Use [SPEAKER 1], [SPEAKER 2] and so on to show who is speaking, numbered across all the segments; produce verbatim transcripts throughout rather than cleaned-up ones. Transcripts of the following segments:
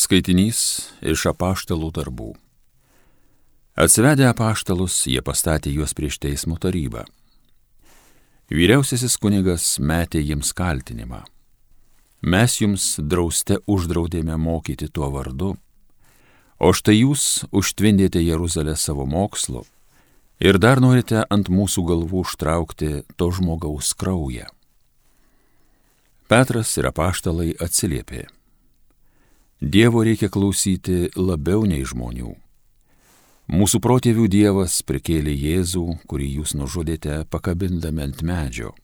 [SPEAKER 1] Skaitinys iš apaštalų darbų. Atsivedę apaštalus, jie pastatė juos prieš teismo tarybą. Vyriausiasis kunigas metė jiems kaltinimą. Mes jums drauste uždraudėme mokyti tuo vardu, o štai jūs užtvindėte Jeruzalę savo mokslu ir dar norite ant mūsų galvų užtraukti to žmogaus kraują. Petras ir apaštalai atsiliepė. Dievo reikia klausyti labiau nei žmonių. Mūsų protėvių Dievas prikėlė Jėzų, kurį jūs nužudėte pakabindami ant medžio.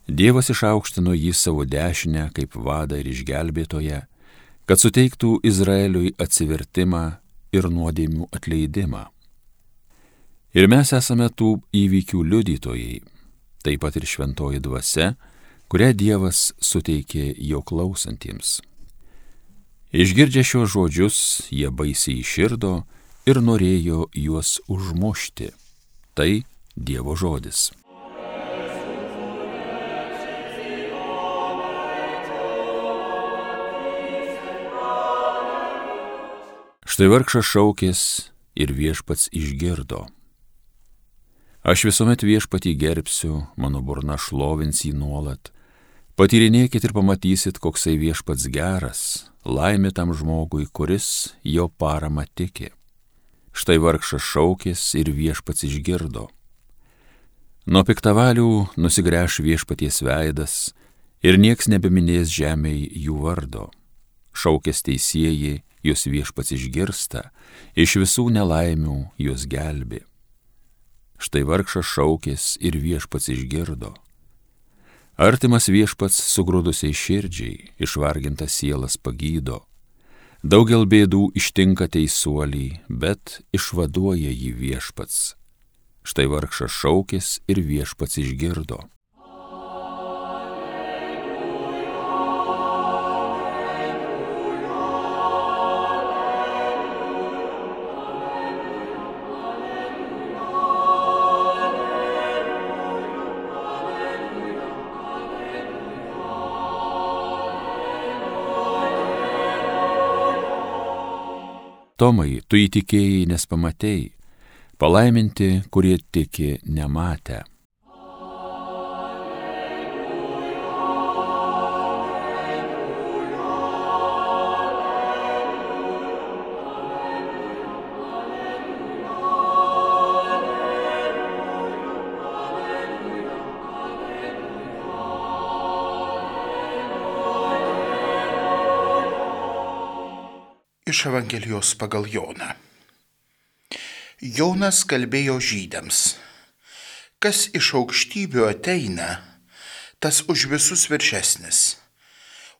[SPEAKER 1] Dievas išaukštino jį savo dešinę kaip vadą ir išgelbėtoją, kad suteiktų Izraeliui atsivertimą ir nuodėmių atleidimą. Ir mes esame tų įvykių liudytojai, taip pat ir šventoji dvasia, kurią Dievas suteikė jo klausantiems. Išgirdę šios žodžius, jie baisiai įširdo ir norėjo juos užmušti. Tai Dievo žodis. Štai vargšas šaukės ir viešpats išgirdo. Aš visuomet viešpatį gerbsiu, mano burna šlovins jį nuolat. Patyrinėkit ir pamatysit, koksai viešpats geras, laimė tam žmogui, kuris jo parama tiki. Štai vargšas šaukės ir viešpats išgirdo. Nuo piktavalių nusigręš viešpaties veidas ir nieks nebeminės žemėj jų vardo. Šaukės teisieji, jos viešpats išgirsta, iš visų nelaimių jos gelbi. Štai vargšas šaukės ir viešpats išgirdo. Artimas viešpats sugrūdusiai širdžiai, išvargintas sielas pagydo. Daugel bėdų ištinka teisuolį, bet išvaduoja jį viešpats. Štai vargšas šaukės ir viešpats išgirdo. Tomai, tu įtikėjai, nes pamatei, palaiminti, kurie tiki nematę.
[SPEAKER 2] Iš Evangelijos pagal Joną. Jonas kalbėjo žydams. Kas iš aukštybių ateina, tas už visus viršesnis.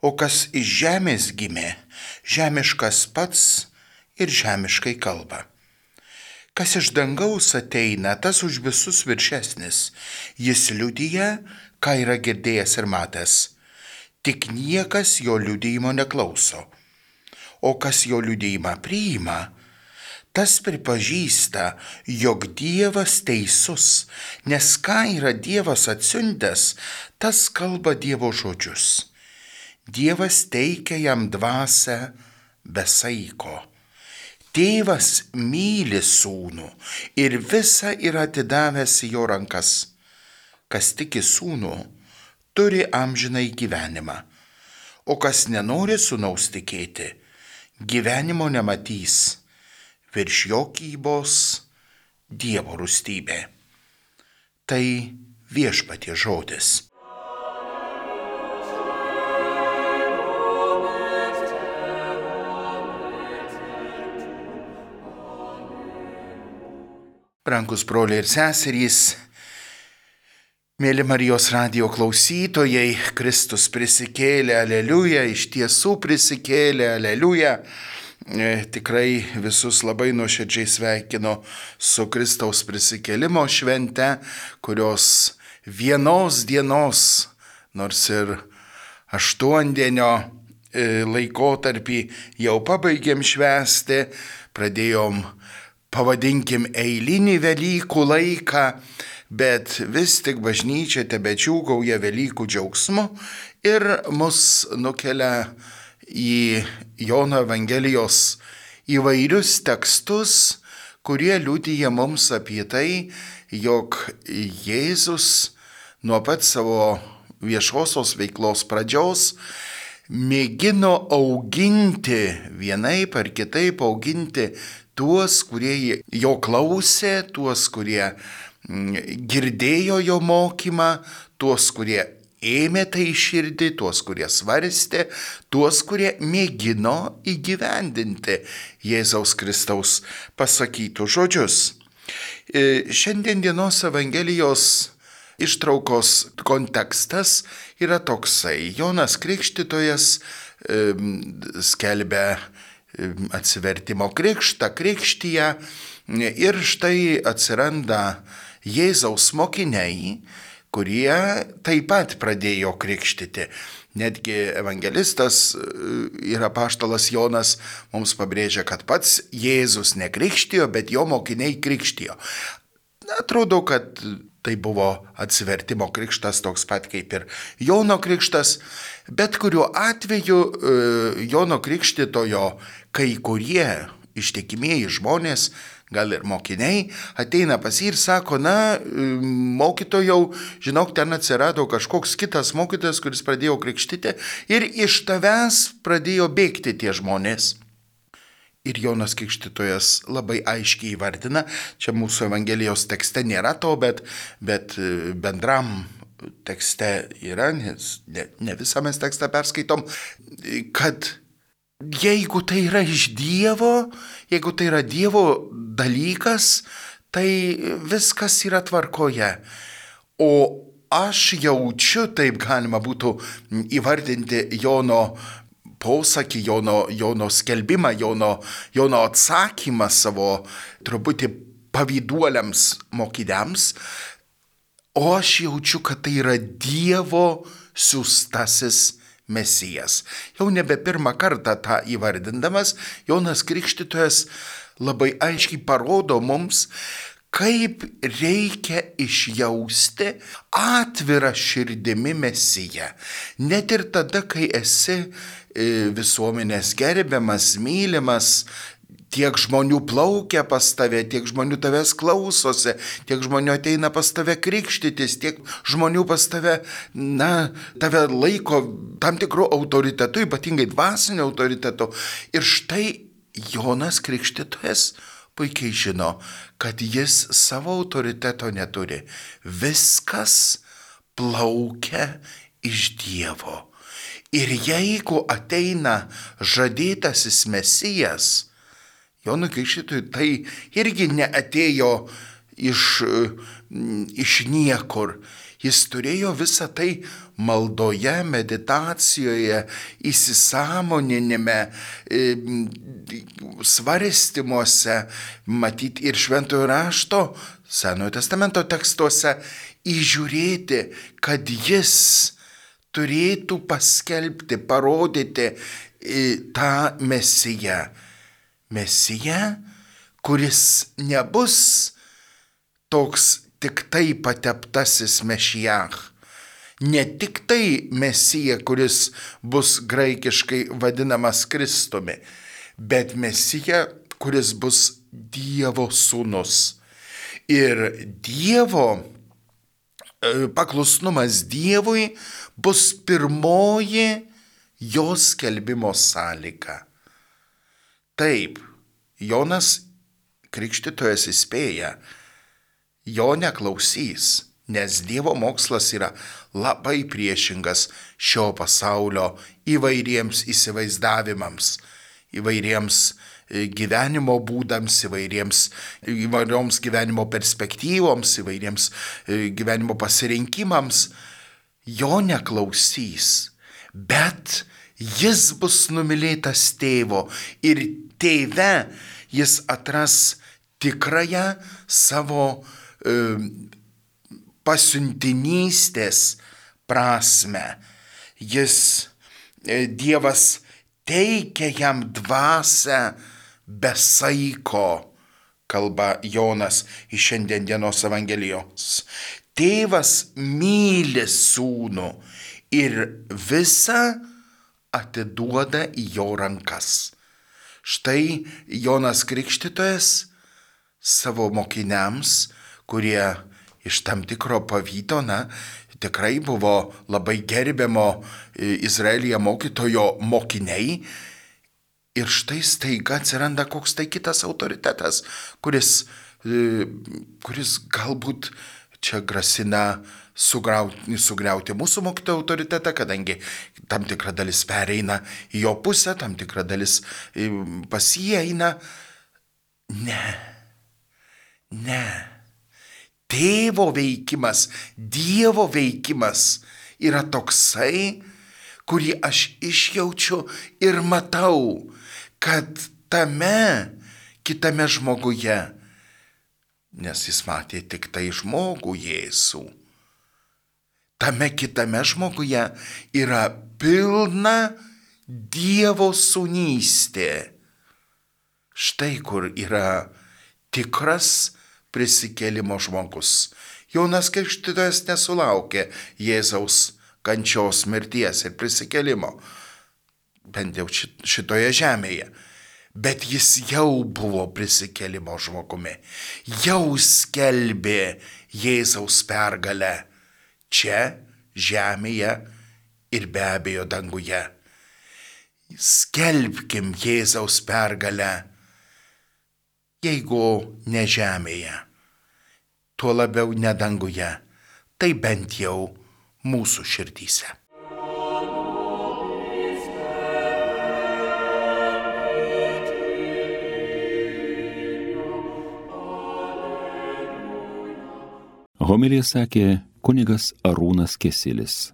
[SPEAKER 2] O kas iš žemės gimė, žemiškas pats ir žemiškai kalba. Kas iš dangaus ateina, tas už visus viršesnis. Jis liudija, ką yra girdėjęs ir matęs. Tik niekas jo liudijimo neklauso. O kas jo liudijimą priima, tas pripažįsta, jog Dievas teisus, nes ką yra Dievas atsiuntęs, tas kalba Dievo žodžius. Dievas teikia jam dvasią be saiko. Tėvas myli sūnų ir visa yra atidavęs į jo rankas. Kas tiki sūnų, turi amžinai gyvenimą, o kas nenori sūnaus tikėti, gyvenimo nematys, virš jo kybos Dievo rūstybė. Tai viešpaties žodis. Brangus broliai ir seserys, mėly Marijos radijo klausytojai, Kristus prisikėlė, aleliuja, iš tiesų prisikėlė, aleliuja. E, tikrai visus labai nuoširdžiai sveikinu su Kristaus prisikėlimo švente, kurios vienos dienos, nors ir aštuondienio e, laikotarpį jau pabaigėm švęsti, pradėjom, pavadinkim, eilinį Velykų laiką, bet vis tik bažnyčia tebedžiūgauja Velykų džiaugsmu ir mus nukelia į Jono Evangelijos įvairius tekstus, kurie liudija mums apie tai, jog Jėzus nuo pat savo viešosios veiklos pradžios mėgino auginti, vienaip ar kitaip auginti tuos, kurie jo klausė, tuos, kurie girdėjo jo mokymą, tuos, kurie ėmė tai širdį, tuos, kurie svarstė, tuos, kurie mėgino įgyvendinti Jėzaus Kristaus pasakytus žodžius. Šiandien dienos Evangelijos ištraukos kontekstas yra toksai. Jonas Krikštytojas skelbia atsivertimo krikštą, krikštyje ir štai atsiranda Jėzaus mokiniai, kurie taip pat pradėjo krikštyti. Netgi evangelistas ir apaštalas Jonas mums pabrėžia, kad pats Jėzus nekrikštijo, bet jo mokiniai krikštijo. Atrodo, kad tai buvo atsivertimo krikštas toks pat kaip ir Jono krikštas, bet kuriuo atveju Jono Krikštytojo kai kurie ištikimieji žmonės, gal ir mokiniai, ateina pas jį ir sako, na, mokytojau, žinok, ten atsirado kažkoks kitas mokytojas, kuris pradėjo krikštyti ir iš tavęs pradėjo bėgti tie žmonės. Ir Jonas Krikštytojas labai aiškiai įvardina, čia mūsų Evangelijos tekste nėra to, bet, bet bendram tekste yra, nes ne, ne visą mes tekstą perskaitom, kad jeigu tai yra iš Dievo, jeigu tai yra Dievo dalykas, tai viskas yra tvarkoje. O aš jaučiu, taip galima būtų įvardinti Jono posakį, Jono, Jono skelbimą, Jono, Jono atsakymą savo truputį pavyduoliams mokiniams, o aš jaučiu, kad tai yra Dievo siųstasis Mesijas. Jau nebe pirmą kartą tą įvardindamas, Jonas Krikštytojas labai aiškiai parodo mums, kaip reikia išjausti atvirą širdimi Mesiją. Net ir tada, kai esi visuomenės gerbiamas, mylimas, tiek žmonių plaukia pas tave, tiek žmonių tavęs klausosi, tiek žmonių ateina pas tave krikštytis, tiek žmonių pas tave, na, tave laiko tam tikrų autoritetų, ypatingai dvasinių autoritetų. Ir štai Jonas Krikštytojas puikiai žino, kad jis savo autoriteto neturi. Viskas plaukia iš Dievo. Ir jeigu ateina žadėtasis Mesijas, Jonui Krikštytojui tai irgi neatėjo iš, iš niekur. Jis turėjo visą tai maldoje, meditacijoje, įsisąmoninime, svarstymuose, matyti ir Šventojo rašto, Senojo testamento tekstuose, įžiūrėti, kad jis turėtų paskelbti, parodyti tą Mesiją. Mesija, kuris nebus toks tik tai pateptasis Mešiach. Ne tik tai Mesija, kuris bus graikiškai vadinamas Kristumi, bet Mesija, kuris bus Dievo sūnus. Ir Dievo paklusnumas Dievui bus pirmoji jo skelbimo sąlyga. Taip, Jonas Krikštytojas įspėja, jo neklausys, nes Dievo mokslas yra labai priešingas šio pasaulio įvairiems įsivaizdavimams, įvairiems gyvenimo būdams, įvairiems, įvairioms gyvenimo perspektyvoms, įvairiems gyvenimo pasirinkimams. Jo neklausys, bet jis bus numylėtas tėvo ir tėve jis atras tikrąją savo e, pasiuntinystės prasme. Jis, e, Dievas teikia jam dvasią be saiko, kalba Jonas iš šiandien dienos Evangelijos. Tėvas myli sūnų ir visą atiduoda į jo rankas. Štai Jonas Krikštytojas savo mokiniams, kurie iš tam tikro pavydo, na, tikrai buvo labai gerbiamo Izraelyje mokytojo mokiniai. Ir štai staiga atsiranda koks tai kitas autoritetas, kuris, kuris galbūt čia grasina sugriauti, sugriauti mūsų mokytojo autoritetą, kadangi tam tikra dalis pereina į jo pusę, tam tikra dalis pas jį eina. Ne, ne. Tėvo veikimas, Dievo veikimas yra toksai, kurį aš išjaučiu ir matau, kad tame kitame žmoguje, nes jis matė tik tai žmogų Jėzų, tame kitame žmoguje yra pilna Dievo sūnystė. Štai kur yra tikras prisikėlimo žmogus. Jonas Krikštytojas nesulaukė Jėzaus kančios, mirties ir prisikėlimo, bent jau šitoje žemėje. Bet jis jau buvo prisikėlimo žmogumi, jau skelbė Jėzaus pergalę čia, žemėje ir be abejo danguje. Skelbkim Jėzaus pergalę, jeigu ne žemėje, tuo labiau ne danguje, tai bent jau mūsų širdyse.
[SPEAKER 1] Homiliją sakė kunigas Arūnas Kesilis.